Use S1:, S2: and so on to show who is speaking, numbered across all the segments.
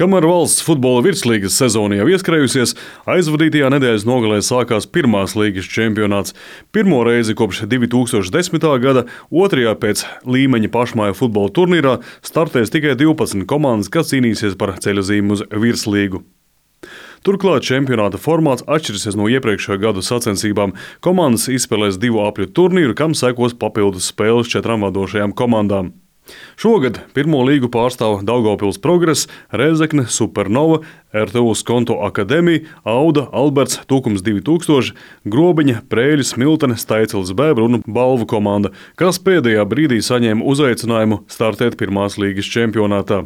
S1: Kamēr valsts futbola virslīgas sezona jau ieskrējusies, aizvadītajā nedēļas nogalē sākās pirmās līgas čempionāts. Pirmo reizi kopš 2010. gada otrajā pēc līmeņa pašmāju futbola turnīrā startēs tikai 12 komandas, kas cīnīsies par ceļojumu uz virslīgu. Turklāt čempionāta formāts atšķirsies no iepriekšējā gadu sacensībām. Komandas izspēlēs 2 apļu turnīru, kam sekos papildus spēles 4 vadošajām komandām. Šogad pirmo līgu pārstāv Daugavpils Progress, Rēzekne, Supernova, RTU Skonto Akademija, Auda, Alberts, Tukums 2000, Grobiņa, Prēļas, Smiltene, Staicels Bēbra un Balvu komanda, kas pēdējā brīdī saņēma uzaicinājumu startēt pirmās līgas čempionātā.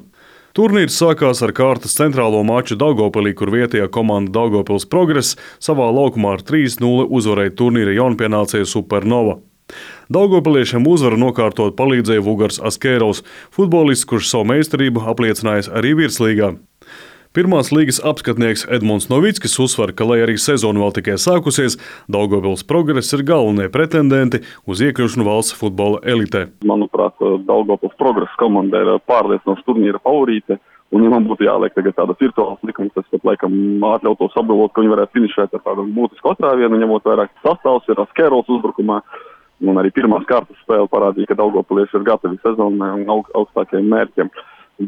S1: Turnīrs sākās ar kārtas centrālo maču Daugavpilī, kur vietējā komanda Daugavpils Progress savā laukumā ar 3-0 uzvarēja turnīra jaunpienācēju Supernova. Daugavpiliešiem uzvaru nokārtot palīdzēja Vugars Askērovs, futbolists, kurš savu meistarību apliecinājis arī virslīgā. Pirmās līgas apskatnieks Edmunds Novickis uzsver, ka, lai arī sezona vēl tikai sākusies, Daugavpils Progress ir galvenie pretendenti uz iekļūšanu valsts futbola elitē.
S2: Manuprāt, Daugavpils Progress komanda ir pārliecinoša turnīra favorīte. Un, ja man būtu jāliek tagad tādas virtuālas likumas, tas pat laikam atļautos apgalvot, ka viņi varētu finišēt ar tādu būtisku atrāvienu, ņemot vairāk sastāvs ir Askērovs uzbrukumā. Un arī pirmās kārtas spēle parādīja, ka Daugavpilieši ir gatavi sezonai un augstākajiem mērķiem.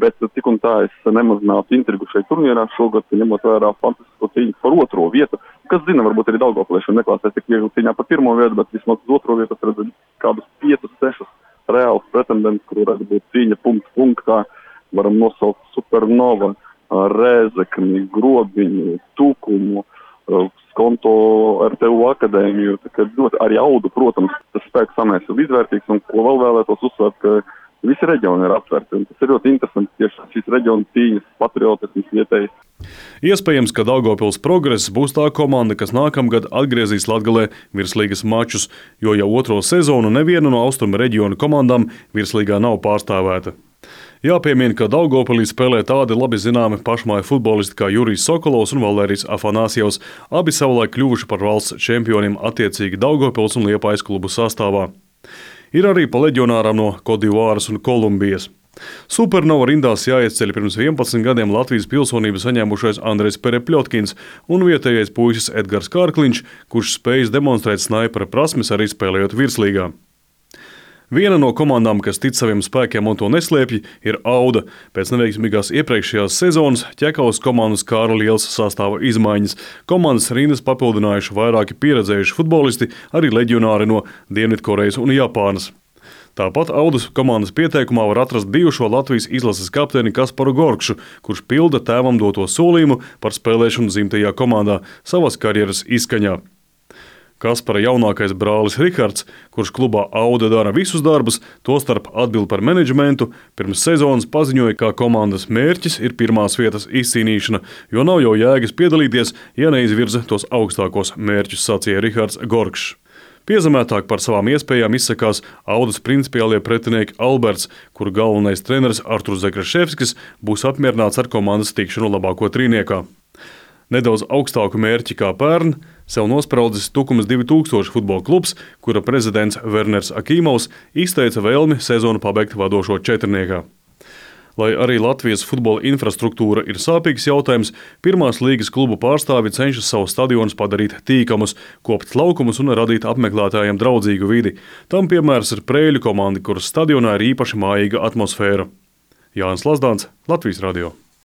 S2: Bet tik un tā es nemazinātu intrigu šeit turnīrā šogad, ņemot vērā fantastisko cīņu par otro vietu. Kas zina, varbūt arī Daugavpilieši neklāsies tik viegli cīņā par pirmo vietu, bet vismaz uz otro vietu redzu kādus 5-6 reālus pretendents, kur varētu būt cīņa punkts punktā. Varam nosaukt Supernova, Rēzekni, Grobiņu, Tukumu, Skonto, RTU Akadēmiju, arī Audu, protams, tas spēku samēs ir izvērtīgs, un ko vēl vēlētos uzsvērt, ka visi reģioni ir aptvērti. Tas ir ļoti interesanti, tieši šīs reģiona cīņas, patriotisms vietējais.
S1: Iespējams, ka Daugavpils Progress būs tā komanda, kas nākamgad atgriezīs Latgalē virslīgas mačus, jo jau otro sezonu neviena no austrumu reģiona komandām virslīgā nav pārstāvēta. Jāpiemina, ka Daugavpilī spēlē tādi labi zināmi pašmāju futbolisti kā Jurijs Sokolovs un Valērijas Afanasjevs, abi savulaik kļuvuši par valsts čempioniem attiecīgi Daugavpils un Liepājas klubu sastāvā. Ir arī pa leģionāram no Kodivāras un Kolumbijas. Supernova rindās jāieceļ pirms 11 gadiem Latvijas pilsonību saņēmušais Andrejs Perepļotkins un vietējais puisis Edgars Kārkliņš, kurš spējis demonstrēt snaipera prasmes arī spēlējot virslīgā. Viena no komandām, kas tic saviem spēkiem un to neslēpj, ir Auda. Pēc neveiksmīgās iepriekšējās sezonas ķekavas komandas kāra liels sastāva izmaiņas. Komandas rindas papildinājuši vairāki pieredzējuši futbolisti, arī leģionāri no Dienvidkorejas un Japānas. Tāpat Audas komandas pieteikumā var atrast bijušo Latvijas izlases kapteini Kasparu Gorkšu, kurš pilda tēvam doto solījumu par spēlēšanu dzimtajā komandā savas karjeras izskaņā. Kaspara jaunākais brālis Rihards, kurš klubā Auda dara visus darbus, tostarp atbild par menedžmentu, pirms sezonas paziņoja, ka komandas mērķis ir pirmās vietas izcīnīšana, jo nav jau jēgas piedalīties, ja neizvirza tos augstākos mērķus, sacīja Rihards Gorkšs. Piezemētāk par savām iespējām izsakās Audas principiālie pretinieki Alberts, kur galvenais treneris Arturs Zekraševskis būs apmierināts ar komandas tikšanu labāko trīniekā. Nedaudz augstāku mērķi kā pērn sev nospraudis Tukums 2000 futbola klubs, kura prezidents Werners Akīmovs izteica vēlmi sezonu pabeigt vadošo četrniekā. Lai arī Latvijas futbola infrastruktūra ir sāpīgs jautājums, pirmās līgas klubu pārstāvi cenšas savus stadionus padarīt tīkamus, kopt laukumus un radīt apmeklētājiem draudzīgu vidi. Tam piemērs ir Prēļu komanda, kuras stadionā ir īpaši mājīga atmosfēra. Jānis Lazdāns, Latvijas radio.